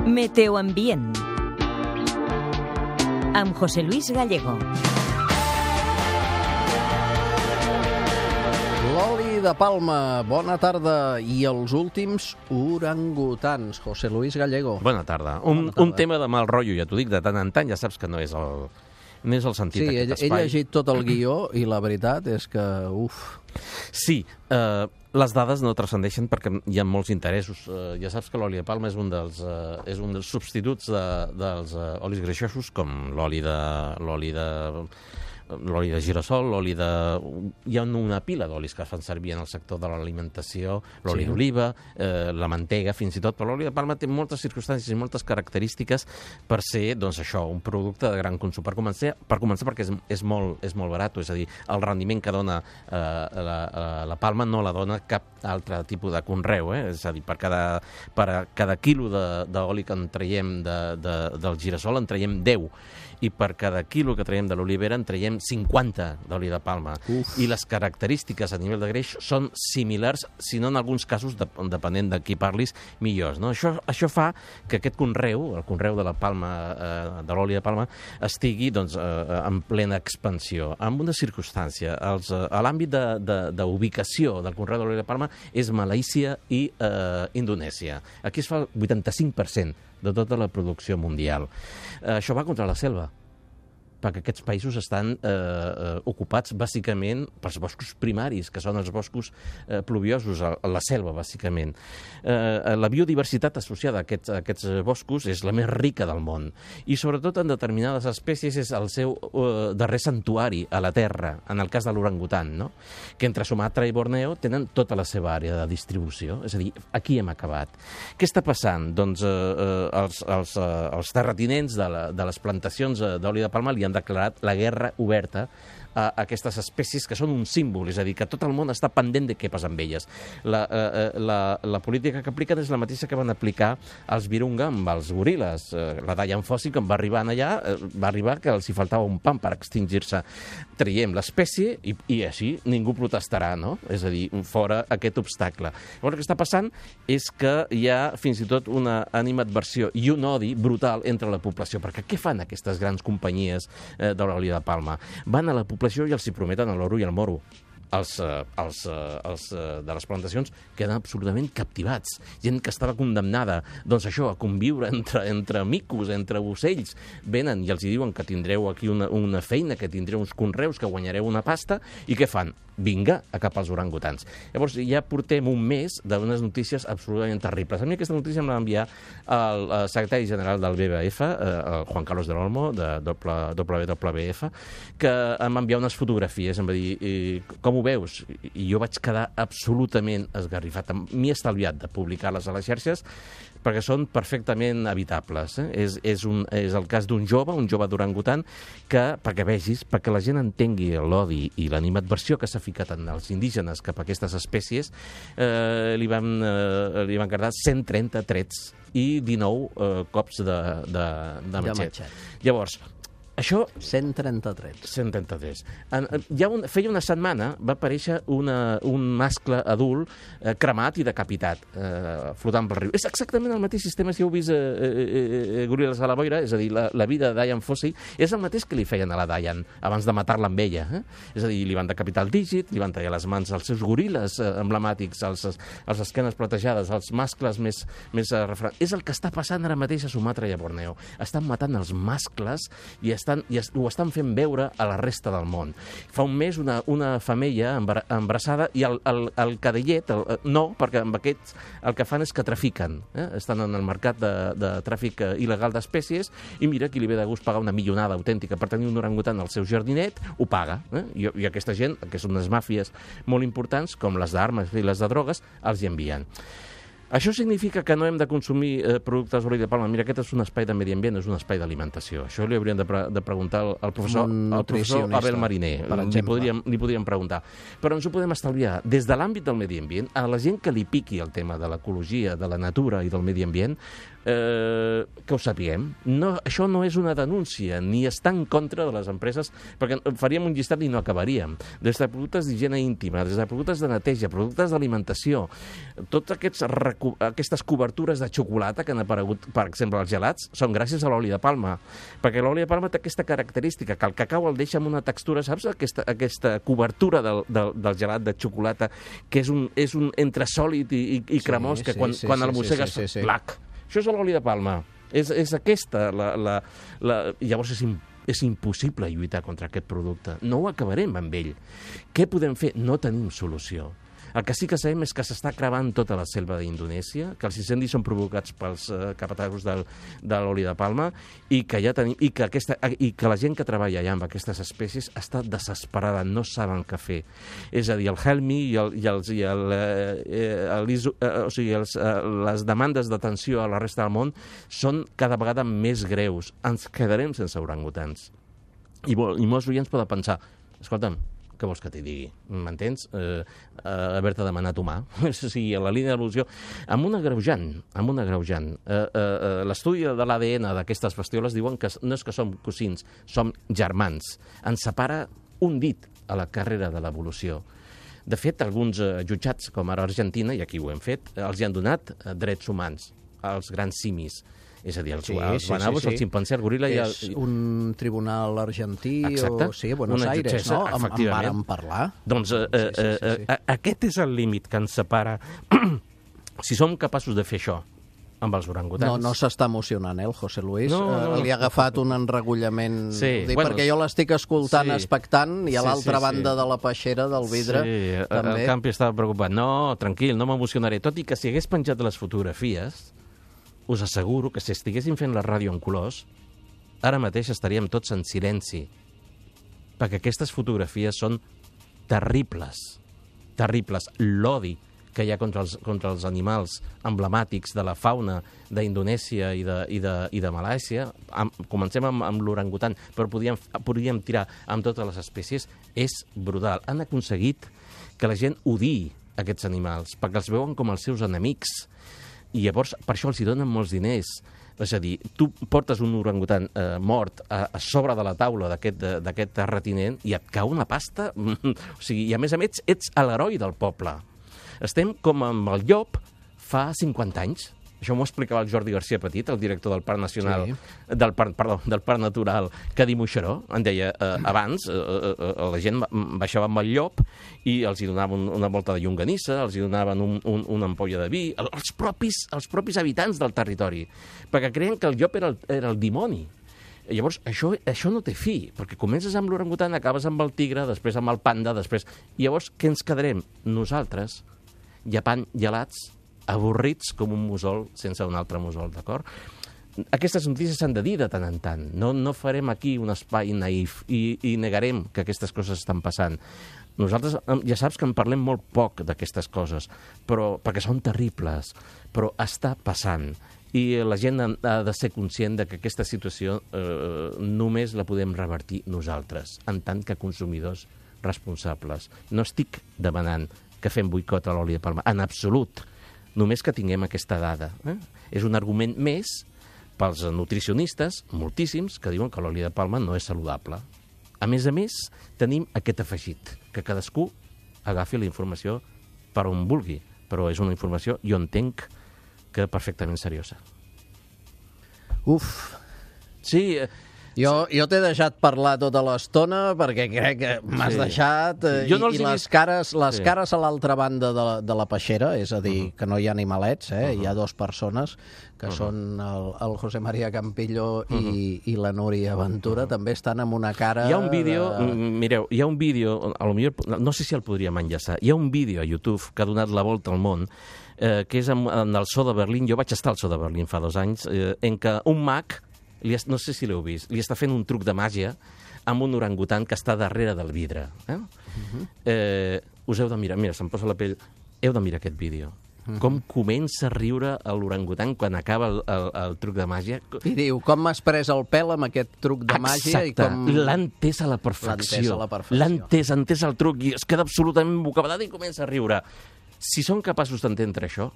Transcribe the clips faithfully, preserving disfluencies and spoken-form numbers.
Meteoambient amb José Luis Gallego. L'oli de palma, bona tarda. I els últims orangutans, José Luis Gallego. Bona tarda. Un, Bona tarda. un tema de mal rotllo, ja t'ho dic, de tant en tant, ja saps que no és el, no és el sentit Sí, d'aquest he, he espai. llegit tot el guió i la veritat és que, uf... Sí, eh, les dades no transcendeixen perquè hi ha molts interessos. Eh, ja saps que l'oli de palma és un dels, eh, és un dels substituts de, dels eh, olis greixosos, com l'oli de... l'oli de l'oli de girassol, l'oli de... Hi ha una pila d'olis que es fan servir en el sector de l'alimentació, l'oli Sí. d'oliva, eh, la mantega, fins i tot, però l'oli de palma té moltes circumstàncies i moltes característiques per ser, doncs això, un producte de gran consum. Per començar, per començar perquè és, és, molt, és molt barat, és a dir, el rendiment que dona eh, la, la palma no la dona cap altre tipus de conreu, eh? És a dir, per cada, per a cada quilo d'oli que en traiem de, de, del girassol en traiem deu, i per cada quilo que traiem de l'olivera en traiem cinquanta d'oli de palma. Uf. I les característiques a nivell de greix són similars, si no en alguns casos, de, depenent de qui parlis, millors. No? Això, això fa que aquest conreu, el conreu de la palma, eh, de l'oli de palma, estigui doncs, eh, en plena expansió. En una circumstància, els, eh, a l'àmbit d'ubicació de, de del conreu de l'oli de palma és Malàisia i eh, Indonèsia. Aquí es fa el vuitanta-cinc per cent de tota la producció mundial. Eh, això va contra la selva, perquè aquests països estan eh, eh, ocupats bàsicament pels boscos primaris, que són els boscos eh, pluviosos, a, a la selva, bàsicament. Eh, la biodiversitat associada a aquests, a aquests boscos és la més rica del món, i sobretot en determinades espècies és el seu eh, darrer santuari a la Terra, en el cas de l'orangutan, no? Que entre Sumatra i Borneo tenen tota la seva àrea de distribució, és a dir, aquí hem acabat. Què està passant? Doncs eh, eh, els, els, eh, els terratinents de, la, de les plantacions d'oli de palma li han declarat la guerra oberta a aquestes espècies que són un símbol, és a dir, que tot el món està pendent de què passa amb elles. La, eh, la, la política que apliquen és la mateixa que van aplicar els Virunga amb els goril·les. Eh, la Dian Fossey, quan va arribar allà, eh, va arribar que els hi faltava un pam per extingir-se. Traiem l'espècie i, i així ningú protestarà, no? És a dir, fora aquest obstacle. Llavors, el que està passant és que hi ha fins i tot una animadversió i un odi brutal entre la població, perquè què fan aquestes grans companyies eh, de l'oli de palma? Van a la població i els hi prometen l'oro i el moro. Els, eh, els, eh, els eh, de les plantacions queden absolutament captivats. Gent que estava condemnada, doncs això, a conviure entre, entre micos, entre ocells, venen i els hi diuen que tindreu aquí una, una feina, que tindreu uns conreus, que guanyareu una pasta, i què fan? Vinga, a cap als orangutans. Llavors, ja portem un mes d'unes notícies absolutament terribles. A mi aquesta notícia em va enviar el, el secretari general del B B F, eh, el Juan Carlos del Olmo, de W W F, que em va enviar unes fotografies, em va dir, com ho veus? I jo vaig quedar absolutament esgarrifat. M'he estalviat de publicar-les a les xarxes perquè són perfectament evitables. Eh? És, és, un, és el cas d'un jove, un jove d'orangutan, que, perquè vegis, perquè la gent entengui l'odi i l'animadversió que s'ha ficat en els indígenes cap a aquestes espècies, eh, li, van, eh, li van quedar cent trenta trets i dinou eh, cops de, de, de matxet. Llavors, això... cent trenta-tres. cent trenta-tres. En, ja un, feia una setmana va aparèixer una, un mascle adult eh, cremat i decapitat, eh, flotant pel riu. És exactament el mateix sistema, si heu vist eh, eh, eh, Goril·les a la boira, és a dir, la, la vida de Dian Fossey, és el mateix que li feien a la Dian abans de matar-la amb ella. Eh? És a dir, li van decapitar el dígit, li van tallar les mans als seus goril·les eh, emblemàtics, als, als esquenes platejades, als mascles més, més eh, refrans. És el que està passant ara mateix a Sumatra i a Borneo. Estan matant els mascles i estan Estan, i es, ho estan fent veure a la resta del món. Fa un mes una, una femella embarassada i el, el, el cadellet, el, no, perquè amb aquests el que fan és que trafiquen. Eh? Estan en el mercat de, de tràfic il·legal d'espècies i mira, qui li ve de gust pagar una millonada autèntica per tenir un orangutan al seu jardinet, ho paga. Eh? I, I aquesta gent, que són unes màfies molt importants, com les d'armes i les de drogues, els hi envien. Això significa que no hem de consumir eh, productes d'oli de palma. Mira, aquest és un espai de medi ambient, és un espai d'alimentació. Això li hauríem de, pre de preguntar al, al, professor, al professor Abel Mariner. Li podríem, li podríem preguntar. Però ens ho podem estalviar. Des de l'àmbit del medi ambient, a la gent que li piqui el tema de l'ecologia, de la natura i del medi ambient, eh, que ho sapiguem. No, això no és una denúncia, ni està en contra de les empreses, perquè faríem un llistat i no acabaríem. Des de productes d'higiene íntima, des de productes de neteja, productes d'alimentació, tots aquests recursos recu aquestes cobertures de xocolata que han aparegut, per exemple, als gelats, són gràcies a l'oli de palma. Perquè l'oli de palma té aquesta característica, que el cacau el deixa amb una textura, saps? Aquesta, aquesta cobertura del, del, del gelat de xocolata, que és un, és un entre sòlid i, i, i cremós, sí, que quan, sí, quan sí, el mossegues, sí, sí, sí, sí. Plac. Això és l'oli de palma. És, és aquesta. La, la, la... Llavors és impossible. És impossible lluitar contra aquest producte. No ho acabarem amb ell. Què podem fer? No tenim solució. El que sí que sabem és que s'està cremant tota la selva d'Indonèsia, que els incendis són provocats pels eh, capatazos del, de l'oli de palma i que, ja tenim, i, que aquesta, i que la gent que treballa allà amb aquestes espècies està desesperada, no saben què fer. És a dir, el Helmi i, el, i, els, i el, eh, el, eh, o sigui, els, eh, les demandes d'atenció a la resta del món són cada vegada més greus. Ens quedarem sense orangutans. I, i molts oients poden pensar, escolta'm, què vols que t'hi digui? M'entens? Eh, eh, Haver-te demanat humà. O sigui, a la línia d'evolució, amb un agreujant, amb un agreujant. Eh, eh, L'estudi de l'A D N d'aquestes bestioles diuen que no és que som cosins, som germans. Ens separa un dit a la carrera de l'evolució. De fet, alguns eh, jutjats, com ara Argentina, i aquí ho hem fet, els hi han donat eh, drets humans als grans simis. És a dir, els, sí, els sí, bonobos, sí, sí. el ximpanzé, el goril·la... I el... És un tribunal argentí o... Sí, a Buenos Aires, jutgessa, no? En, en vàrem parlar. Doncs eh, sí, sí, sí, sí. Eh, aquest és el límit que ens separa. Si som capaços de fer això amb els orangutans... No, no s'està emocionant, eh, el José Luis. No, no, eh, li ha agafat un enregullament... Sí, dic, bueno, perquè jo l'estic escoltant, sí, expectant, i a sí, l'altra sí, banda sí. de la peixera del vidre... Sí, també... el Campi estava preocupat. No, tranquil, no m'emocionaré. Tot i que si hagués penjat les fotografies... us asseguro que si estiguéssim fent la ràdio en colors, ara mateix estaríem tots en silenci, perquè aquestes fotografies són terribles, terribles. L'odi que hi ha contra els, contra els animals emblemàtics de la fauna d'Indonèsia i de, i de, i de Malàisia, amb, comencem amb, amb l'orangutan, però podríem, podríem tirar amb totes les espècies, és brutal. Han aconseguit que la gent odiï aquests animals, perquè els veuen com els seus enemics, i llavors per això els hi donen molts diners. És a dir, tu portes un orangutan eh, mort a, a sobre de la taula d'aquest terratinent i et cau una pasta. O sigui, i a més a més ets l'heroi del poble. Estem com amb el llop fa cinquanta anys. Això m'ho explicava el Jordi García Petit, el director del Parc Nacional, sí. del, Parc, perdó, del Parc Natural, que di Moixeró. En deia, eh, abans eh, eh, la gent baixava amb el llop i els hi donaven un, una volta de llonganissa, els hi donaven un, un, una ampolla de vi, els propis, els propis habitants del territori, perquè creien que el llop era el, era el dimoni. Llavors, això, això no té fi, perquè comences amb l'orangutan, acabes amb el tigre, després amb el panda, després... I llavors, què ens quedarem? Nosaltres, llepant gelats, avorrits com un mussol sense un altre mussol, d'acord? Aquestes notícies s'han de dir de tant en tant. No, no farem aquí un espai naïf i, i negarem que aquestes coses estan passant. Nosaltres ja saps que en parlem molt poc d'aquestes coses, però, perquè són terribles, però està passant. I la gent ha de ser conscient de que aquesta situació eh, només la podem revertir nosaltres, en tant que consumidors responsables. No estic demanant que fem boicot a l'oli de palma, en absolut. Només que tinguem aquesta dada. Eh? És un argument més pels nutricionistes, moltíssims, que diuen que l'oli de palma no és saludable. A més a més, tenim aquest afegit, que cadascú agafi la informació per on vulgui, però és una informació, jo entenc, que perfectament seriosa. Uf! Sí... Jo, jo t'he deixat parlar tota l'estona perquè crec que m'has sí. deixat eh, no i, i les, cares, les sí. cares a l'altra banda de la, de la peixera, és a dir, uh -huh. que no hi ha animalets, eh? uh -huh. hi ha dues persones que uh -huh. són el, el José María Campillo i, uh -huh. i la Núria Ventura, uh -huh. també estan amb una cara... Hi ha un vídeo, de... mireu, hi ha un vídeo, a lo millor, no sé si el podríem enllaçar, hi ha un vídeo a YouTube que ha donat la volta al món, eh, que és en, en el Zoo de Berlín, jo vaig estar al Zoo de Berlín fa dos anys, eh, en què un mag, li, no sé si l'heu vist, li està fent un truc de màgia amb un orangutan que està darrere del vidre. Eh? Uh-huh. eh, us heu de mirar, mira, se'm posa la pell, heu de mirar aquest vídeo. Uh-huh. Com comença a riure l'orangutan quan acaba el, el, el truc de màgia. I diu, com m'has pres el pèl amb aquest truc de màgia? Exacte, i com... l'ha entès a la perfecció. L'ha entès, ha entès el truc i es queda absolutament bocabadat i comença a riure. Si són capaços d'entendre això,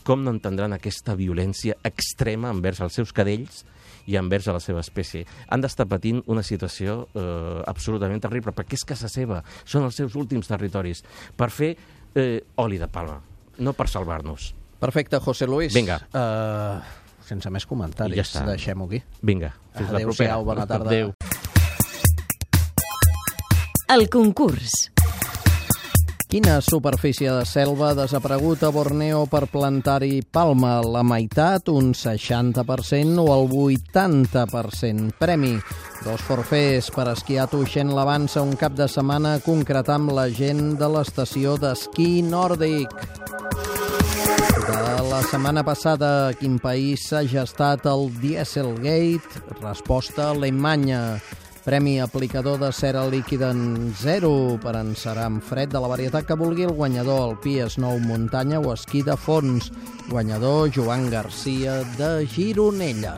com no entendran aquesta violència extrema envers els seus cadells i envers a la seva espècie? Han d'estar patint una situació eh, absolutament terrible, perquè és casa seva, són els seus últims territoris, per fer eh, oli de palma, no per salvar-nos. Perfecte, José Luis. Vinga. Uh, sense més comentaris, I ja està. deixem-ho aquí. Vinga, fins la propera. Adéu-siau, bona tarda. Adéu. El concurs. Quina superfície de selva ha desaparegut a Borneo per plantar-hi palma? La meitat, un seixanta per cent o el vuitanta per cent? Premi: dos forfers per esquiar a Tuixén l'Avança un cap de setmana a concretar amb la gent de l'estació d'esquí nòrdic. De la setmana passada, a quin país s'ha gestat el Dieselgate? Resposta: Alemanya. Premi aplicador de cera líquida en zero per encerar amb fred de la varietat que vulgui el guanyador, alpí, snow, muntanya o esquí de fons. Guanyador Joan Garcia de Gironella.